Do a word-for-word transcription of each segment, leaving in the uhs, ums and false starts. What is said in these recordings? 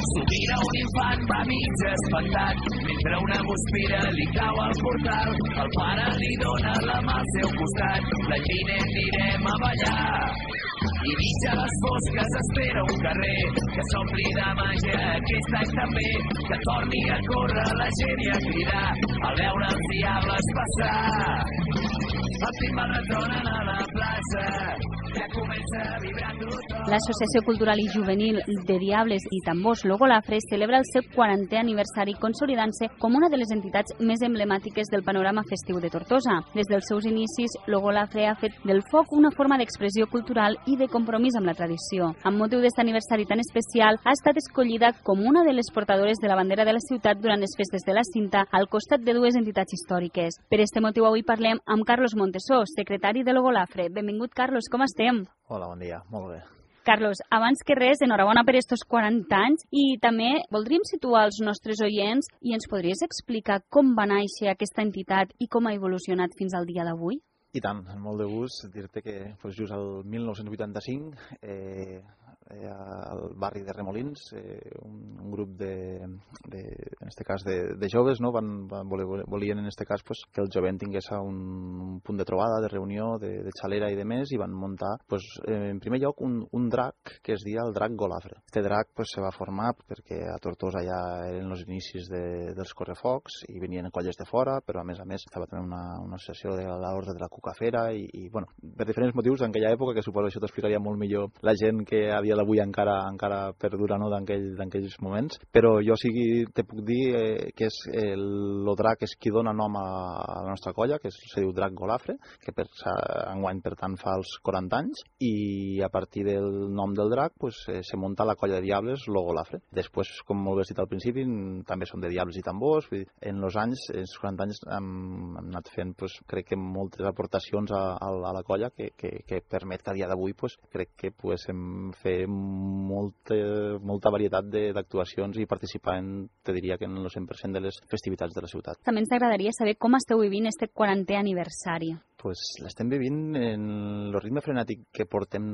S'ho mira un infant, va mig espantat, mentre una guspira li cau al portal. El pare li dona la mà al seu costat, la Gina anirem a ballar. I mig a les fosques espera un carrer que s'ompli de màgia aquest any també, que torni a córrer la gent i a cridar al veure els diables passar. El timbal retronen a la plaça, ja comença a vibrar tothom. L'Associació Cultural i Juvenil de Diables i Tambors Logolafre celebra el seu quarantè aniversari, consolidant-se com una de les entitats més emblemàtiques del panorama festiu de Tortosa. Des dels seus inicis, Logolafre ha fet del foc una forma d'expressió cultural i de compromís amb la tradició. Amb motiu d'aquest aniversari tan especial, ha estat escollida com una de les portadores de la bandera de la ciutat durant les festes de la Cinta, al costat de dues entitats històriques. Per aquest motiu avui parlem amb Carlos Montesó, secretari de Logolafre. Benvingut, Carlos, com estem? Hola, bon dia, molt bé. Carlos, abans que res, enhorabona per estos quaranta anys i també voldríem situar els nostres oients i ens podries explicar com va néixer aquesta entitat i com ha evolucionat fins al dia d'avui? I tant, amb molt de gust dir-te que pues, just el mil nou-cents vuitanta-cinc eh, eh, al barri de Remolins eh, un, un grup de, de en este cas de, de joves no? van, van voler, volien en este cas pues, que el jovent tingués un, un punt de trobada, de reunió, de, de xalera i de més, i van muntar pues, eh, en primer lloc un, un drac que es dia el drac Golafre. Este drac pues, se va formar perquè a Tortosa ja eren els inicis de, dels correfocs i venien colles de fora, però a més a més estava també una, una associació de l'Orde de la Cucafera i, i bueno, per diferents motius en aquella època, que suposo això t'explicaria molt millor la gent que a dia d'avui encara encara perdura no, d'aquells aquell, moments, però jo sí te puc dir eh, que és el, el drac és qui dona nom a, a la nostra colla, que es, se diu Drac Golafre, que per, enguany per tant fa els quaranta anys, i a partir del nom del drac pues, eh, se munta la colla de diables Logolafre. Després, com molt bé dit al principi, també són de diables i tambors. Vull dir, en els anys, en els quaranta anys hem, hem anat fent pues, crec que moltes aportacions a, a, a la colla que, que, que permet que a dia d'avui pues, crec que puguem fer molta, molta varietat d'actuacions i participar en, te diria que en el cent per cent de les festivitats de la ciutat. També ens agradaria saber com esteu vivint este quarantè aniversari. Pues l'estem vivint en el ritme frenètic que portem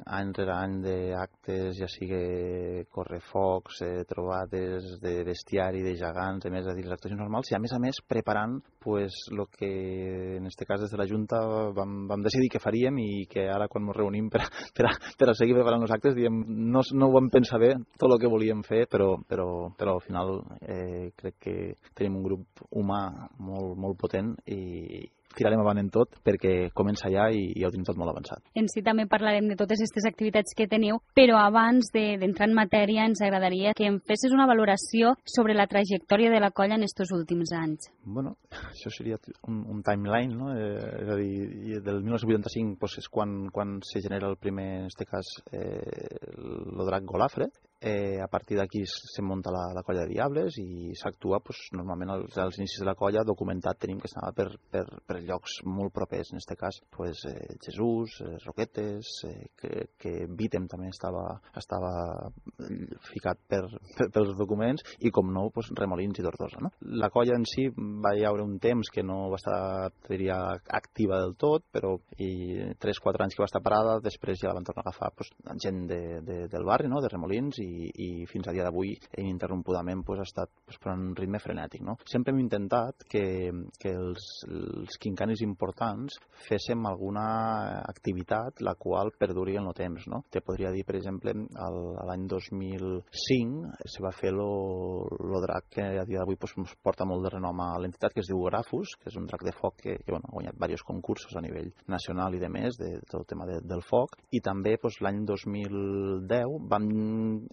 any rere any d'actes, ja sigui correfocs, eh, trobades de bestiari, de gegants, a més a dir, les actuacions normals, i a més a més preparant pues, lo que en este cas des de la Junta vam, vam decidir que faríem i que ara quan ens reunim per, per, a, per a seguir preparant els actes diem, no, no ho vam pensar bé tot el que volíem fer, però, però, però al final eh, crec que tenim un grup humà molt, molt potent i tirarem avant en tot perquè comença ja i ja ho tenim tot molt avançat. En si també parlarem de totes aquestes activitats que teniu, però abans d'entrar de, en matèria ens agradaria que em fessis una valoració sobre la trajectòria de la colla en estos últims anys. Bueno, això seria un, un timeline, no? Eh, és a dir, del mil nou-cents vuitanta-cinc pues, és quan, quan se genera el primer, en este cas, eh, el drac Golafre. Eh, a partir d'aquí se munta la, la colla de diables i s'actua pues, normalment als, als inicis de la colla documentat tenim que estava per, per, per llocs molt propers, en aquest cas pues, eh, Jesús, eh, Roquetes, eh, que, que Vítem també estava, estava ficat per, per, pels documents i com no pues, Remolins i Tortosa. No? La colla en si va hi haure un temps que no va estar diria, activa del tot, però i tres quatre anys que va estar parada, després ja la van tornar a agafar pues, gent de, de, del barri, no? De Remolins i I, i fins a dia d'avui ininterrompudament pues, ha estat pues, per un ritme frenètic. No? Sempre hem intentat que, que els, els quincanis importants féssim alguna activitat la qual perduri en el temps. No? Te podria dir, per exemple, l'any dos mil cinc se va fer el drac que a dia d'avui pues, porta molt de renom a l'entitat, que es diu Grafus, que és un drac de foc que, que bueno, ha guanyat diversos concursos a nivell nacional i de més, de, de tot el tema de, del foc. I també pues, l'any dos mil deu vam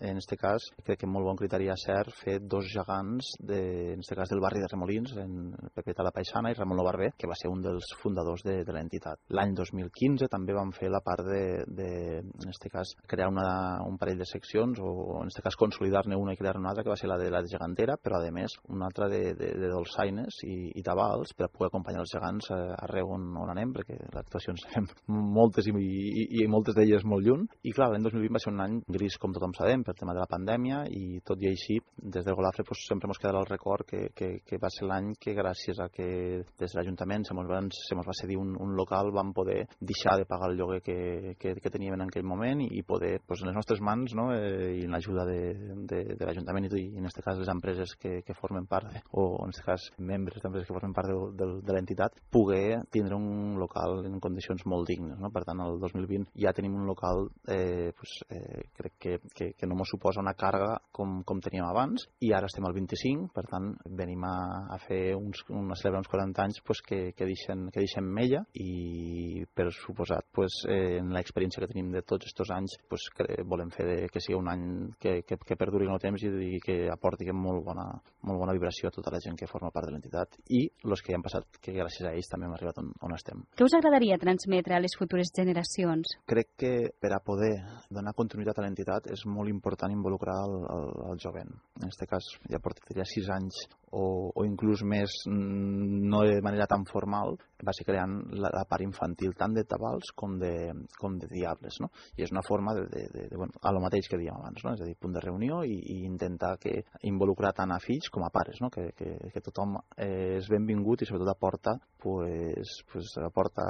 en aquest cas, crec que amb molt bon criteri a cert, fer dos gegants, de, en aquest cas del barri de Remolins, en Pepe Talapaixana i Ramon Lobarber, que va ser un dels fundadors de, de l'entitat. L'any dos mil quinze també vam fer la part de, de en aquest cas, crear una, un parell de seccions, o en aquest cas consolidar-ne una i crear una altra, que va ser la de la de gegantera, però a més una altra de, de, de dolçaines i, i tabals per a poder acompanyar els gegants arreu on, on anem, perquè les actuacions fem moltes i, i, i moltes d'elles molt lluny. I clar, l'any dos mil vint va ser un any gris, com tothom sabem, per el tema de la pandèmia, i tot i així, des de Golafre pues, sempre ens quedarà el record que, que, que va ser l'any que gràcies a que des de l'Ajuntament se mos va, se mos va cedir un, un local, vam poder deixar de pagar el lloguer que, que, que teníem en aquell moment i poder, pues, en les nostres mans, no? eh, i en l'ajuda de, de, de l'Ajuntament i, i en aquest cas les empreses que, que formen part, de, o en aquest cas membres d'empreses que formen part de, de, de l'entitat, poder tindre un local en condicions molt dignes. No? Per tant, el dos mil vint ja tenim un local eh, pues, eh, crec que, que, que no ens suposa una càrrega com, com teníem abans, i ara estem al vint-i-cinc, per tant venim a, a fer uns, a celebrar uns quaranta anys pues, que, que, deixen, que deixen mella, i per suposat pues, eh, en l'experiència que tenim de tots aquests anys pues, que volem fer de, que sigui un any que, que, que perduri en el temps i, i que aporti molt bona, molt bona vibració a tota la gent que forma part de l'entitat i els que ja han passat, que gràcies a ells també hem arribat on, on estem. Què us agradaria transmetre a les futures generacions? Crec que per a poder donar continuïtat a l'entitat és molt important involucrar el, el, el jovent. En aquest cas ja portaria sis anys o, o inclús més, no de manera tan formal, va ser creant la, la part infantil tant de tabals com de, com de diables, no? I és una forma de, de, de, de bueno, a lo mateix que dèiem abans, no? És a dir, punt de reunió i, i intentar que involucrar tant a fills com a pares, no? Que, que, que tothom eh, és benvingut i sobretot aporta, pues, pues, aporta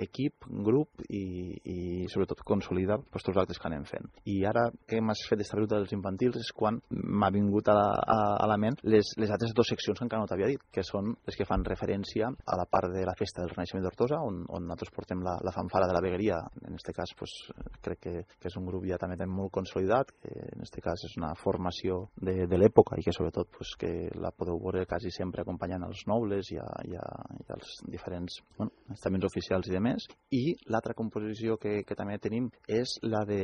equip, grup i, i sobretot consolida pues, tots els actes que anem fent. I ara que hem fet esta ruta dels infantils és quan m'ha vingut a la, a, a la ment les, les altres dues seccions que encara no t'havia dit, que són les que fan referència a la part de la festa del Renaixement d'Hortosa, on, on nosaltres portem la, la fanfara de la vegueria. En aquest cas, pues, crec que, que és un grup ja també molt consolidat, que en aquest cas és una formació de, de l'època i que sobretot pues, que la podeu veure quasi sempre acompanyant els nobles i, a, i, a, i als diferents bueno, estaments oficials i demés. I l'altra composició que, que també tenim és la de...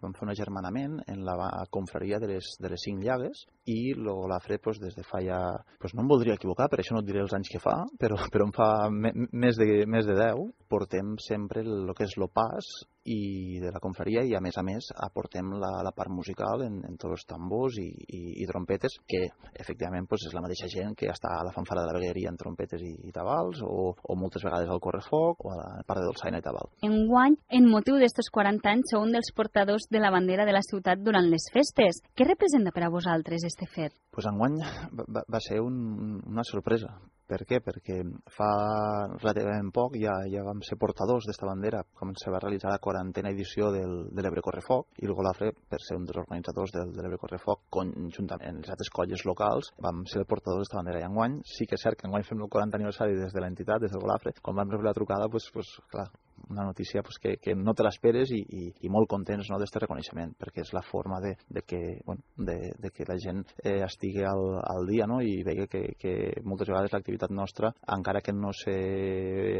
vam fer un agermanament en la confraria de les, de les cinc llagues i el Golafre pues, des de fa ja... Pues no em voldria equivocar, per això no et diré els anys que fa, però, però em fa me, més, de, més de deu. Portem sempre el, el que és l'opàs i de la confraria i a més a més aportem la, la part musical en, en tots els tambors i, i, i trompetes, que efectivament pues, és la mateixa gent que està a la fanfara de la vegueria en trompetes i, i tabals o, o moltes vegades al correfoc o a la part de dolçaina i tabal. Enguany, en motiu d'estos quaranta anys, sou un dels portadors de la bandera de la ciutat durant les festes. Què representa per a vosaltres este fet? Pues enguany va, va ser un, una sorpresa. Per què? Perquè fa relativament poc ja, ja vam ser portadors d'esta bandera quan se va realitzar la quarantena edició del, de l'Ebre Correfoc i el Golafre, per ser un dels organitzadors del, de l'Ebre Correfoc, conjuntament amb les altres colles locals, vam ser portadors d'esta bandera. I enguany sí que és cert que enguany fem el quaranta aniversari des de l'entitat, des del Golafre. Quan vam rebre la trucada, pues, pues, clar, una notícia pues, que, que no te l'esperes i, i, i molt contents no, d'aquest reconeixement, perquè és la forma de, de, que, bueno, de, de que la gent eh, estigui al, al dia no? I vegi que, que moltes vegades l'activitat nostra, encara que no sé,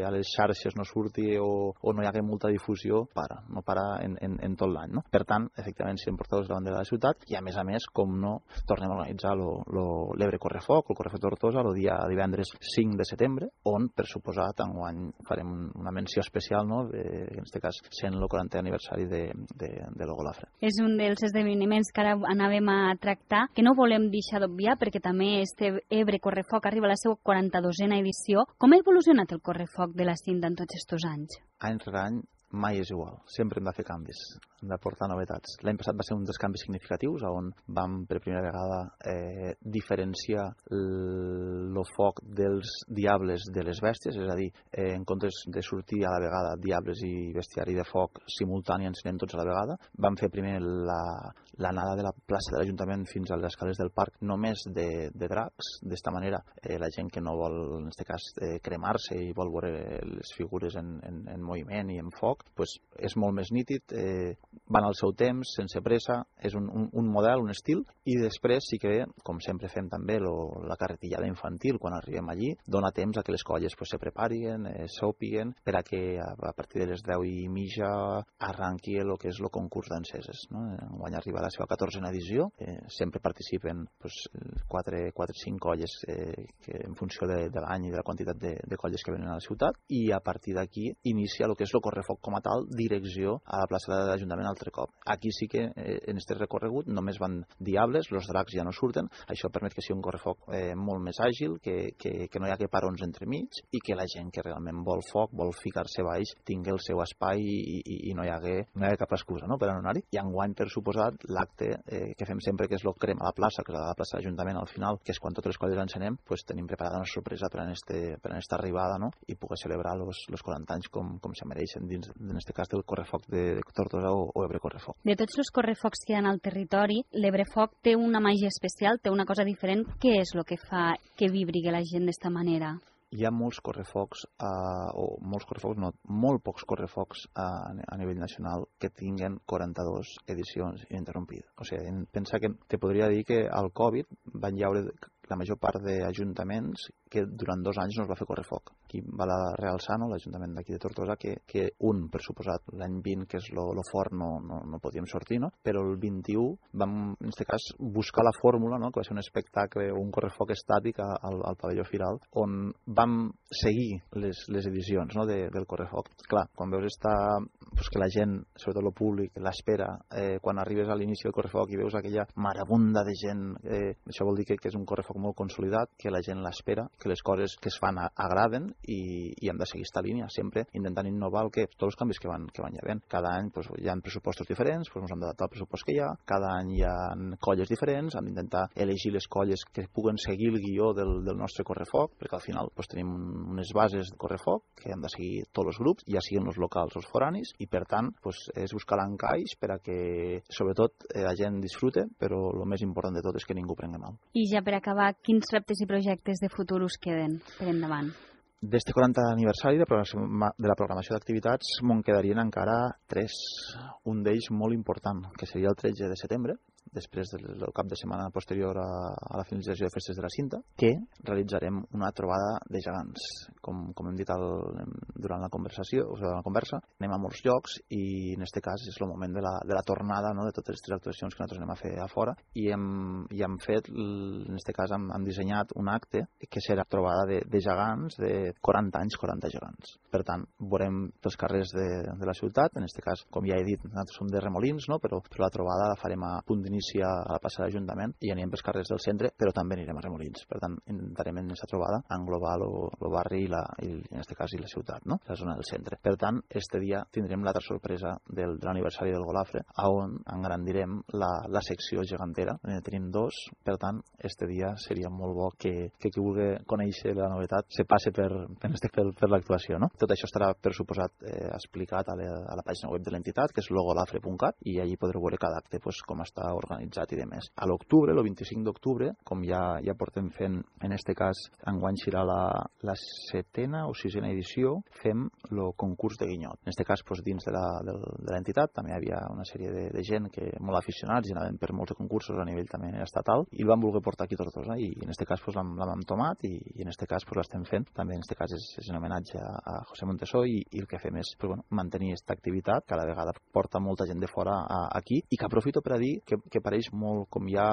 a les xarxes no surti o, o no hi hagi molta difusió, para, no para en, en, en tot l'any. No? Per tant, efectivament, siguem portadors de la bandera de la ciutat i, a més a més, com no, tornem a organitzar l'Ebre Correfoc, el Correfoc d'Hortosa, el dia divendres cinc de setembre, on, per suposat, enguany farem una menció especial, no? De, en aquest cas, sent el quarantè aniversari de, de, de lo Golafre. És un dels esdeveniments que ara anàvem a tractar, que no volem deixar d'obviar, perquè també este Ebre Correfoc arriba a la seva quaranta-dosena edició. Com ha evolucionat el Correfoc de la cinta en tots aquests anys? Any rere any mai és igual, sempre hem de fer canvis, hem d'aportar novetats. L'any passat va ser un dels canvis significatius on vam per primera vegada eh, diferenciar el foc dels diables de les bèsties, és a dir, eh, en comptes de sortir a la vegada diables i bestiari de foc simultani ensenyant tots a la vegada, vam fer primer l'anada de la plaça de l'Ajuntament fins a les escales del parc només de, de dracs. D'esta manera eh, la gent que no vol, en aquest cas, eh, cremar-se i vol veure les figures en, en, en moviment i en foc, pues és molt més nítid, eh, van al seu temps, sense pressa, és un, un, un model, un estil, i després sí que, com sempre fem també lo, la carretillada infantil, quan arribem allí, dona temps a que les colles pues, se preparien, eh, s'opiguen, per a que a, a partir de les deu i mitja arranqui el que és el concurs d'enceses. No? Enguany arriba a la seva catorzena edició, eh, sempre participen pues, quatre o cinc colles eh, que, en funció de, de l'any i de la quantitat de, de colles que venen a la ciutat, i a partir d'aquí inicia el que és el correfoc com a tal, direcció a la plaça de l'Ajuntament al altre cop. Aquí sí que eh, en aquest recorregut només van diables, els dracs ja no surten, això permet que sigui un correfoc eh, molt més àgil, que, que, que no hi hagi parons entremig i que la gent que realment vol foc, vol ficar-se baix, tingui el seu espai i, i, i no hi hagi, no hi hagi cap excusa, no?, per a anar-hi. I enguany, per suposat, l'acte eh, que fem sempre, que és el crema a la plaça, que és a la plaça de l'Ajuntament al final, que és quan totes les colles encenem, pues, tenim preparada una sorpresa per a aquesta arribada, no?, i poder celebrar els quaranta anys com, com se mereixen dins, en aquest cas, del correfoc de, de Tortosa o, o Ebre Correfoc. De tots els correfocs que hi ha al territori, l'Ebrefoc té una màgia especial, té una cosa diferent. Què és el que fa que vibri la gent d'esta manera? Hi ha molts correfocs, eh, o molts correfocs, no, molt pocs correfocs a, a nivell nacional que tinguen quaranta-dues edicions ininterrompides. O sigui, pensa que te podria dir que al Covid van llaure la major part d'ajuntaments que durant dos anys no es va fer correfoc. Aquí va la Real Sano, l'Ajuntament d'aquí de Tortosa, que, que un, per suposat, l'any vint, que és lo, lo fort, no, no, no podíem sortir, no? Però el vint-i-u vam, en aquest cas, buscar la fórmula, no?, que va ser un espectacle, un correfoc estàtic al, al pavelló Firal, on vam seguir les, les edicions, no?, de, del correfoc. Clar, quan veus esta, pues que la gent, sobretot el públic, l'espera, eh, quan arribes a l'inici del correfoc i veus aquella marabunda de gent, eh, això vol dir que, que és un correfoc molt consolidat, que la gent l'espera, que les coses que es fan agraden i, i hem de seguir esta línia, sempre intentant innovar el que, tots els canvis que van, que van hi havent. Cada any pues, hi ha pressupostos diferents, pues, ens hem d'adaptar al pressupost que hi ha, cada any hi ha colles diferents, hem d'intentar elegir les colles que puguen seguir el guió del, del nostre correfoc, perquè al final pues, tenim unes bases de correfoc que hem de seguir tots els grups, ja siguin els locals o els foranis, i per tant pues, és buscar l'encaix per a que sobretot eh, la gent disfrute, però el més important de tot és que ningú prengui mal. I ja per acabar, quins reptes i projectes de futur us queden per endavant? D'este quaranta aniversari de, de la programació d'activitats me'n quedarien encara tres. Un d'ells molt important, que seria el tretze de setembre, després del cap de setmana posterior a, a la finalització de Festes de la Cinta, que realitzarem una trobada de gegants. Com, com hem dit al, durant la conversació, o sigui, durant la conversa, anem a molts llocs i en aquest cas és el moment de la, de la tornada, no?, de totes les tres actuacions que nosaltres anem a fer a fora, i hem, i hem fet, en aquest cas hem, hem dissenyat un acte que serà trobada de, de gegants, de quaranta anys, quaranta gegants. Per tant, veurem pels carrers de, de la ciutat, en aquest cas, com ja he dit, nosaltres som de Remolins, no?, però, però la trobada la farem a punt d'inici a la plaça de l'Ajuntament i anirem pels carrers del centre, però també anirem a Remolins. Per tant, intentarem en aquesta trobada englobar el barri i, la, i en aquest cas i la ciutat, no?, la zona del centre. Per tant, este dia tindrem l'altra sorpresa del, de l'aniversari del Golafre, on engrandirem la, la secció gegantera. En tenim dos, per tant, este dia seria molt bo que, que qui vulgui conèixer la novetat se passe per, per, per, per l'actuació, no? Tot això estarà, per suposat, eh, explicat a la, a la pàgina web de l'entitat, que és logolafre punt cat, i allí podreu veure cada acte pues, com està organitzat i demés. A l'octubre, el vint-i-cinc d'octubre, com ja ja portem fent, en este cas, enguany serà la, la setena o sisena edició, fem el concurs de guinyot. En este cas, pues, dins de l'entitat, també hi havia una sèrie de, de gent que molt aficionats i anaven per molts de concursos a nivell també estatal i el vam voler portar aquí a Tortosa i en este cas pues, l'hem tomat i, i en este cas pues, l'estem fent. També en este cas és, és un homenatge a, a José Montesó i, i el que fem és pues, bueno, mantenir aquesta activitat, cada vegada porta molta gent de fora a, aquí i que aprofito per a dir que, que pareix molt, com hi ha,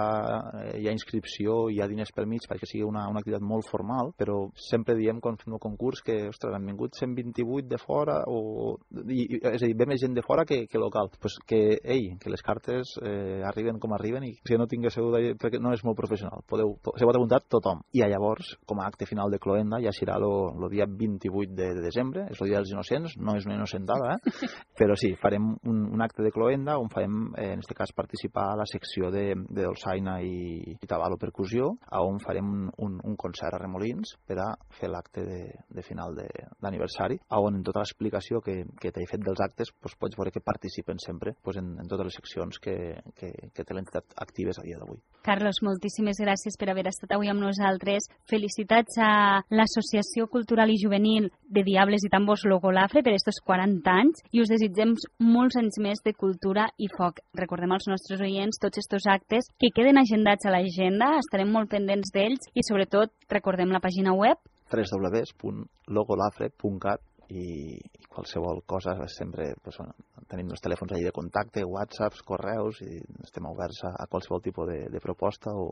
hi ha inscripció, hi ha diners per mig perquè sigui una, una activitat molt formal, però sempre diem quan fem el concurs que, ostres, han vingut cent vint-i-vuit de fora o... I, és a dir, ve més gent de fora que, que local. Pues que, ei, que les cartes eh, arriben com arriben i si no tinguéssiu de... perquè no és molt professional. Podeu, se pot apuntar tothom. I llavors, com a acte final de Cloenda, ja serà el dia vint-i-vuit de, de desembre, és el dia dels innocents, no és una innocentada, eh? Però sí, farem un, un acte de Cloenda on farem, eh, en aquest cas, participar a la secció de, de dolçaina i, i tabalo percussió, on farem un, un, un concert a Remolins per a fer l'acte de, de final d'aniversari, on en tota l'explicació que, que t'he fet dels actes pues, pots veure que participen sempre pues, en, en totes les seccions que, que, que té l'entitat actives a dia d'avui. Carlos, moltíssimes gràcies per haver estat avui amb nosaltres. Felicitats a l'Associació Cultural i Juvenil de Diables i Tambors Logolafre per estos quaranta anys i us desitgem molts anys més de cultura i foc. Recordem als nostres oients tots estos actes que queden agendats a l'agenda, estarem molt pendents d'ells i sobretot recordem la pàgina web w w w punt logolafre punt cat i, i qualsevol cosa sempre pues, bueno, tenim els telèfons allà de contacte, whatsapps, correus i estem oberts a, a qualsevol tipus de, de proposta o,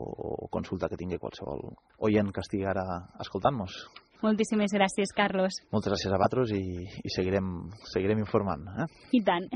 o consulta que tingui qualsevol oient que estigui ara escoltant-nos. Moltíssimes gràcies, Carlos. Moltes gràcies a vosaltres i, i seguirem, seguirem informant. Eh? I tant.